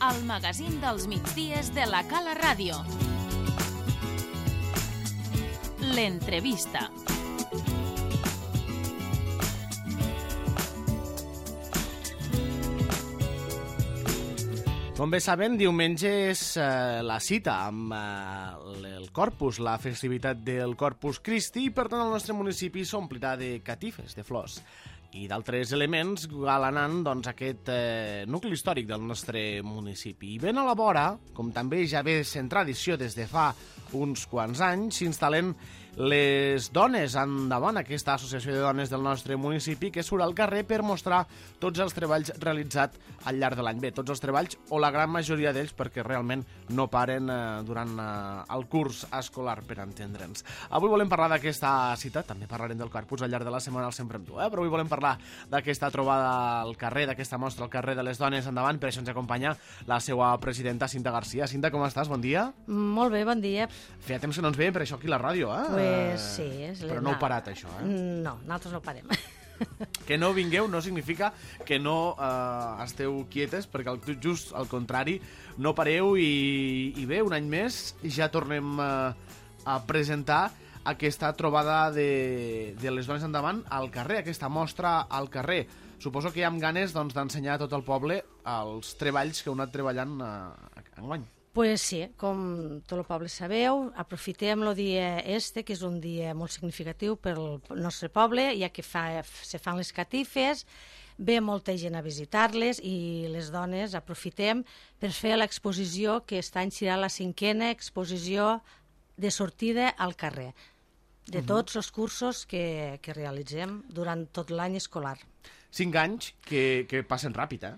el magazín dels migdies de la Cala Ràdio. L'entrevista. Com bé saben, diumenge és la cita amb el Corpus, la festivitat del Corpus Christi, i per tant el nostre municipi s'omplirà de catifes, de flors i d'altres elements galanant aquest nucli històric del nostre municipi. I ben a la vora, com també ja ve sent tradició des de fa uns quants anys, s'instal·len les dones endavant, aquesta associació de dones del nostre municipi que surt al carrer per mostrar tots els treballs realitzats al llarg de l'any. Bé, tots els treballs o la gran majoria d'ells, perquè realment no paren durant el curs escolar, per entendre'ns. Avui volem parlar d'aquesta cita, també parlarem del Corpus al llarg de la setmana, sempre amb tu, però avui volem parlar d'aquesta trobada al carrer, d'aquesta mostra al carrer de les dones endavant. Per això ens acompanya la seva presidenta, Cinta Garcia. Cinta, com estàs? Bon dia. Molt bé, bon dia. Feia temps que no ens veiem per això aquí a la ràdio, Pues sí. Però no heu parat, això, No, nosaltres no parem. Que no vingueu no significa que no esteu quietes, perquè just al contrari, no pareu i bé, un any més ja tornem a presentar aquesta trobada de les dones endavant al carrer, aquesta mostra al carrer. Suposo que hi ha ganes d'ensenyar a tot el poble els treballs que heu anat treballant enguany. Pues sí, com tot el poble sabeu, aprofitem el dia que és un dia molt significatiu pel nostre poble, ja que se fan les catifes, ve molta gent a visitar-les i les dones aprofitem per fer l'exposició, que aquest any serà la 5a exposició de sortida al carrer, de tots els cursos que realitzem durant tot l'any escolar. 5 anys que passen ràpid,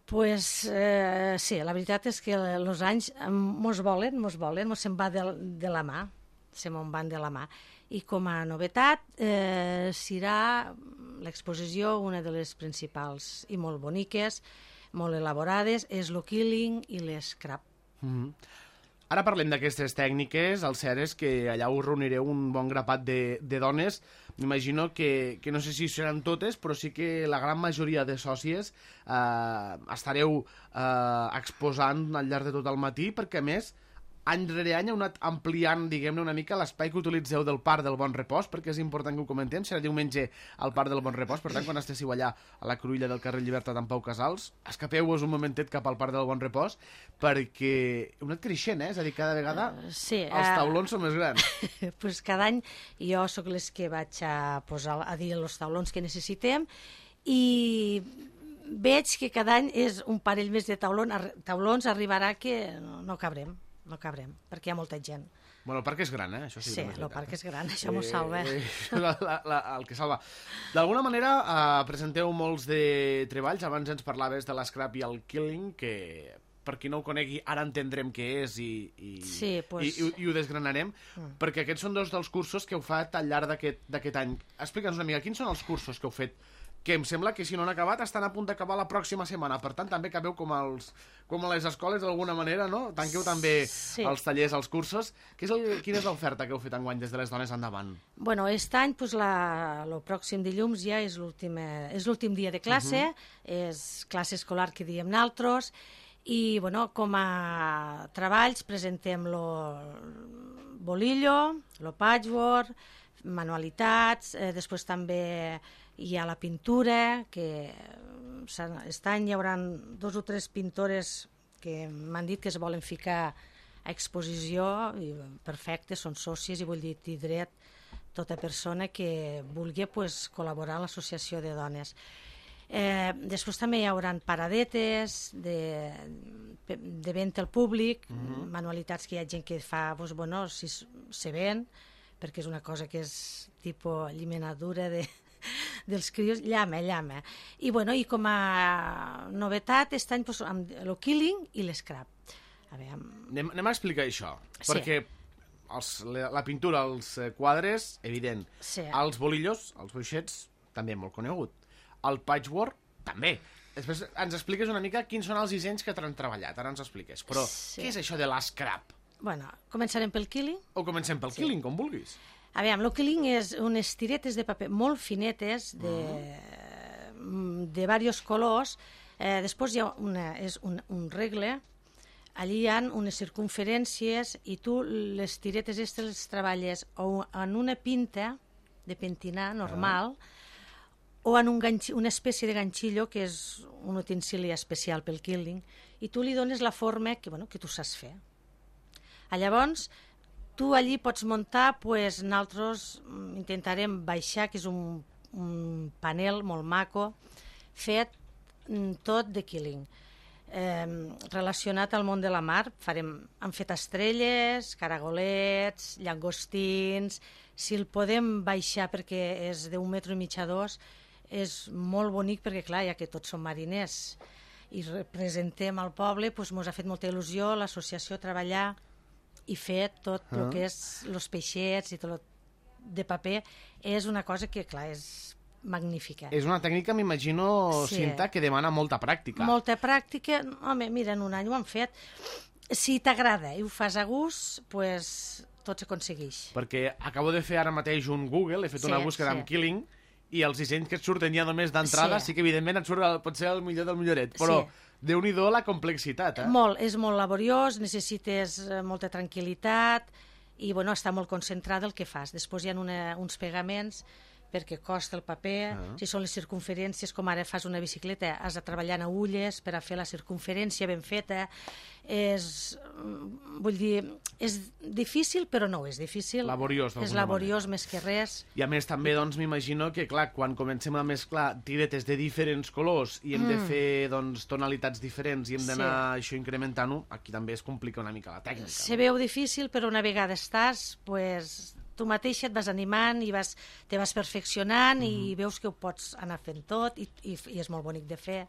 Pues sí, la veritat és que els anys mos volen, mos se'n va de la mà, se me'n van de la mà. I com a novetat serà l'exposició, una de les principals i molt boniques, molt elaborades, és l'O-Killing i l'Scrap. Ara parlem d'aquestes tècniques. El cert és que allà us reunireu un bon grapat de dones. M'imagino que no sé si seran totes, però sí que la gran majoria de sòcies estareu exposant al llarg de tot el matí, perquè a més any rere any heu anat ampliant, diguem-ne, una mica l'espai que utilitzeu del Parc del Bon Repòs, perquè és important que ho comentem. Serà diumenge al Parc del Bon Repòs, per tant, quan estéssiu allà a la cruïlla del carrer Llibertat amb Pau Casals, escapeu-vos un momentet cap al Parc del Bon Repòs, perquè heu anat creixent, és a dir, cada vegada sí, els taulons són més grans. Pues cada any jo sóc les que vaig a posar a dir els taulons que necessitem, i veig que cada any és un parell més de taulons, arribarà que no cabrem, perquè hi ha molta gent. Bueno, el parc és gran, això sí. Sí, el parc és gran, això m'ho salva. El que salva. D'alguna manera presenteu molts de treballs. Abans ens parlaves de l'Scrap i el Killing, que per qui no ho conegui ara entendrem què és i ho desgranarem, perquè aquests són dos dels cursos que heu fet al llarg d'aquest any. Explica'ns una mica, quins són els cursos que heu fet, que em sembla que si no han acabat estan a punt d'acabar la pròxima setmana, per tant també acabeu com a les escoles d'alguna manera, no? Tanqueu també els tallers, els cursos. Quina és l'oferta que heu fet enguany des de les dones endavant? Bueno, aquest any, el pròxim dilluns ja és l'últim dia de classe, és classe escolar que diem naltros, i bueno, com a treballs presentem lo bolillo, lo patchwork, manualitats, després també hi ha la pintura, que aquest any hi haurà 2 o 3 pintores que m'han dit que es volen ficar a exposició, i perfecte, són sòcies, i vull dir dret tota persona que vulgui col·laborar a l'associació de dones. Després també hi haurà paradetes de venda al públic, manualitats que hi ha gent que fa, si se ven, perquè és una cosa que és tipus llimenadura dels crios, llama. I com a novetat, aquest any amb l'O-Killing i l'Scrap. Anem a explicar això, perquè la pintura, els quadres, evident. Els bolillos, els boixets, també molt conegut. El patchwork, també. Després ens expliques una mica quins són els dissenys que t'han treballat, ara ens expliques. Però què és això de l'Scrap? Bueno, començarem pel Killing. O comencem pel Killing, com vulguis. L'O-Killing és unes tiretes de paper molt finetes, de diversos colors. Després hi ha un regle allí hi ha unes circunferències i tu les tiretes aquestes les treballes o en una pinta de pentinar normal o en una espècie de ganxillo que és un utensili especial pel quilting i tu li dones la forma que tu saps fer. Llavors, tu allí pots muntar, nosaltres intentarem baixar, que és un panel molt maco, fet tot de quilting. Relacionat al món de la mar, hem fet estrelles, caragolets, llangostins. Si el podem baixar perquè és d'1,5 metres a 2, és molt bonic perquè, clar, ja que tots som mariners i representem al poble, doncs ens ha fet molta il·lusió l'associació treballar i fer tot el que és els peixets i tot de paper. És una cosa que, clar, és magnífica. És una tècnica, m'imagino, Cinta, que demana molta pràctica. Molta pràctica. Home, mira, en un any ho han fet. Si t'agrada i ho fas a gust, doncs tot s'aconsegueix. Perquè acabo de fer ara mateix un Google, he fet una búsqueda amb quilting, i els dissenys que et surten ja només d'entrada, sí que evidentment et surt potser el millor del milloret, però déu-n'hi-do la complexitat, Molt, és molt laboriós, necessites molta tranquil·litat i està molt concentrat el que fas. Després hi ha uns pegaments perquè costa el paper, si són les circunferències, com ara fas una bicicleta, has de treballar en agulles per a fer la circunferència ben feta. Vull dir, és difícil, però no és difícil. Laboriós, d'alguna manera. És laboriós més que res. I a més també, doncs, m'imagino que, clar, quan comencem a mesclar tiretes de diferents colors i hem de fer, doncs, tonalitats diferents i hem d'anar això incrementant-ho, aquí també es complica una mica la tècnica. Se veu difícil, però una vegada estàs, doncs tu mateixa et vas animant i te vas perfeccionant i veus que ho pots anar fent tot i és molt bonic de fer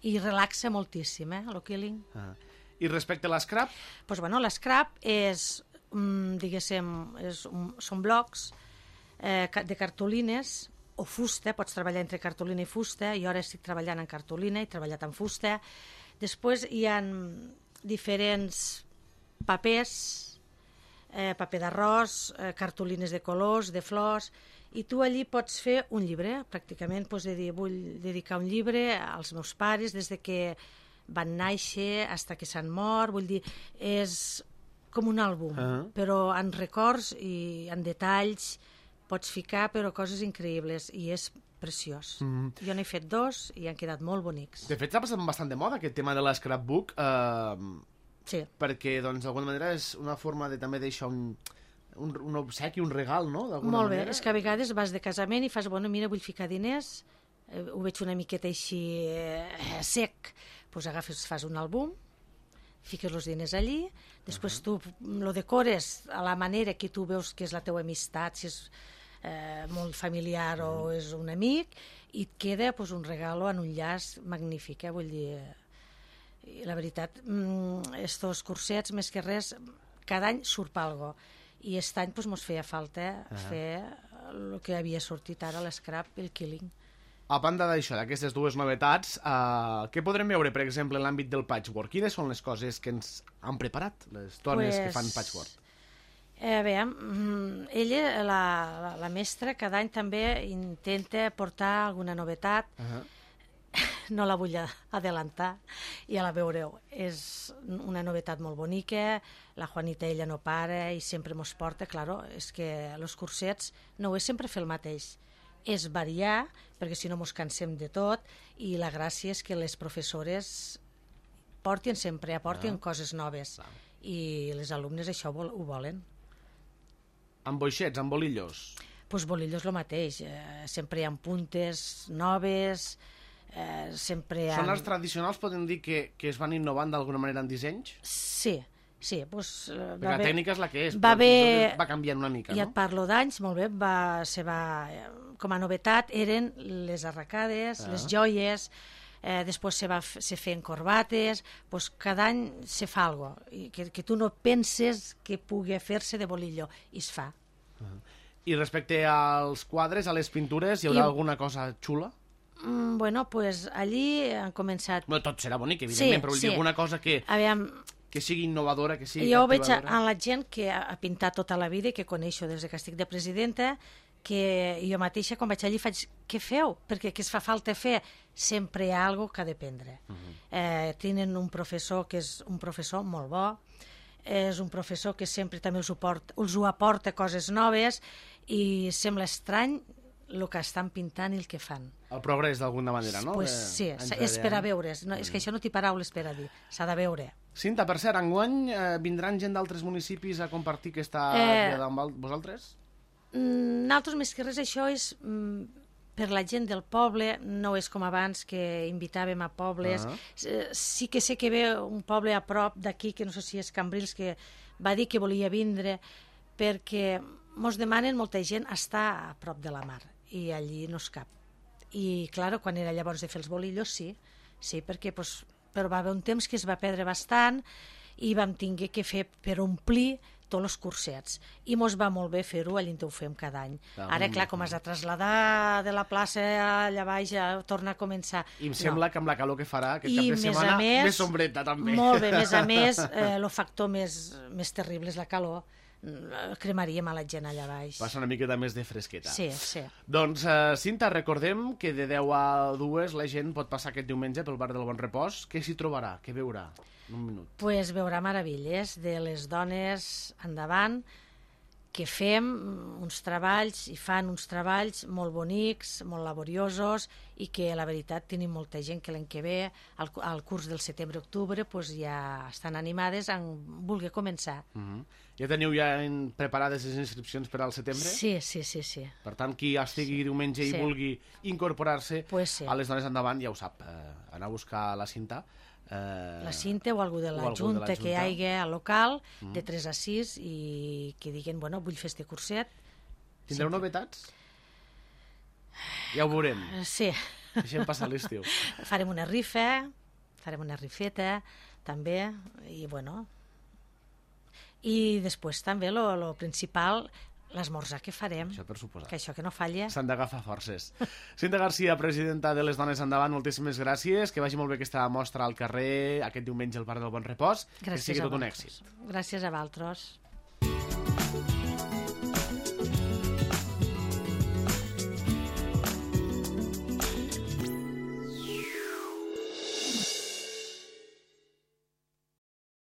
i relaxa moltíssim, el quilting. I respecte a l'escrap? Doncs l'escrap és, diguéssim, són blocs de cartolines o fusta, pots treballar entre cartolina i fusta, jo ara estic treballant en cartolina, he treballat en fusta. Després hi ha diferents papers, paper d'arròs, cartolines de colors, de flors, i tu allí pots fer un llibre, pràcticament pots dir, vull dedicar un llibre als meus pares des de que van néixer fins que s'han mort, vull dir, és com un àlbum, però en records i en detalls pots ficar, però coses increïbles, i és preciós. Jo n'he fet 2 i han quedat molt bonics. De fet, s'ha passat bastant de moda aquest tema de l'escrapbook, sí. Perquè, doncs, d'alguna manera és una forma de també deixar un obsequi, un regal, no? Molt bé, és que a vegades vas de casament i fas, mira, vull ficar diners, ho veig una miqueta així sec, doncs agafes, fas un àlbum, fiques els diners allí, després tu lo decores a la manera que tu veus que és la teua amistat, si és molt familiar o és un amic, i et queda un regalo en un llaç magnífic, vull dir... La veritat, estos cursets, més que res, cada any surt algo. I aquest any mos feia falta fer el que havia sortit ara, l'escrap i el quilting. A banda d'això, d'aquestes dues novetats, què podrem veure, per exemple, en l'àmbit del patchwork? Quines són les coses que ens han preparat, les dones que fan patchwork? Veiem, ella, la mestra, cada any també intenta portar alguna novetat. No la vull adelantar, ja la veureu. És una novetat molt bonica, la Juanita ella no para i sempre mos porta, claro, és que els cursets no és sempre fer el mateix, és variar, perquè si no mos cansem de tot, i la gràcia és que les professores aportin coses noves, i les alumnes això ho volen. Amb boixets, amb bolillos? Doncs bolillos el mateix, sempre hi ha puntes noves... Són els tradicionals, podem dir que es van innovant d'alguna manera en dissenys? Sí. Perquè la tècnica és la que és, va canviant una mica, no? Ja et parlo d'anys, molt bé, com a novetat eren les arracades, les joies, després se feien corbates, cada any se fa alguna cosa, que tu no penses que pugui fer-se de bolillo, i es fa. I respecte als quadres, a les pintures, hi haurà alguna cosa xula? Bueno, doncs allí han començat... Tot serà bonic, evidentment, però vull dir alguna cosa que... Aviam, que sigui innovadora, que sigui Jo ho veig captivadora? en la gent que ha pintat tota la vida i que coneixo des que estic de presidenta, que jo mateixa quan vaig allí faig, què feu? Perquè què es fa falta fer? Sempre hi ha alguna cosa que ha d'aprendre. Tenen un professor que és un professor molt bo, és un professor que sempre també us ho aporta coses noves i sembla estrany el que estan pintant i el que fan. El progrés, d'alguna manera, no? Pues sí, és per a veure. No, és que això no té paraules per a dir, s'ha de veure. Cinta, per cert, enguany vindran gent d'altres municipis a compartir aquesta diada amb vosaltres? Nosaltres, més que res, això és per la gent del poble, no és com abans que invitàvem a pobles. Sí que sé que ve un poble a prop d'aquí, que no sé si és Cambrils, que va dir que volia vindre, perquè mos demanen molta gent estar a prop de la mar, i allí no es cap. I, clar, quan era llavors de fer els bolillos, sí, perquè però va haver un temps que es va perdre bastant i vam tinguer que fer per omplir tots els cursets. I mos va molt bé fer-ho, allà ho fem cada any. Ara, clar, com has de traslladar de la plaça allà baix a tornar a començar... I em sembla que amb la calor que farà aquest cap de setmana, més sombreta també. Molt bé, més a més, el factor més terrible és la calor. Cremaríem a la gent allà baix. Passa una miqueta més de fresqueta. Sí. Doncs, Cinta, recordem que de 10 a 2 la gent pot passar aquest diumenge pel bar del Bon Repòs. Què s'hi trobarà? Què veurà? Un minut. Pues veurà meravelles de les dones endavant, que fem uns treballs i fan uns treballs molt bonics, molt laboriosos, i que la veritat tenim molta gent que l'any que ve, al curs del setembre-octubre, pues ja estan animades a voler començar. Ja teniu preparades les inscripcions per al setembre? Sí. Per tant, qui estigui diumenge i vulgui incorporar-se a les dones endavant, ja ho sap, anar a buscar la Cinta. La Cinta o algú de la Junta que hi hagi al local, de 3 a 6, i que diguin, bueno, vull fer este curset. Tindreu novetats? Ja ho veurem. Sí. Deixem passar l'estiu. Farem una rifeta, també, i bueno... I després també, lo principal, l'esmorzar que farem. Això per suposar. Que això que no falla. S'han d'agafar forces. Cinta Garcia, presidenta de les Dones Endavant, moltíssimes gràcies. Que vagi molt bé aquesta mostra al carrer aquest diumenge al bar del Bon Repòs. Gràcies, que sigui tot un èxit. Gràcies a vosaltres.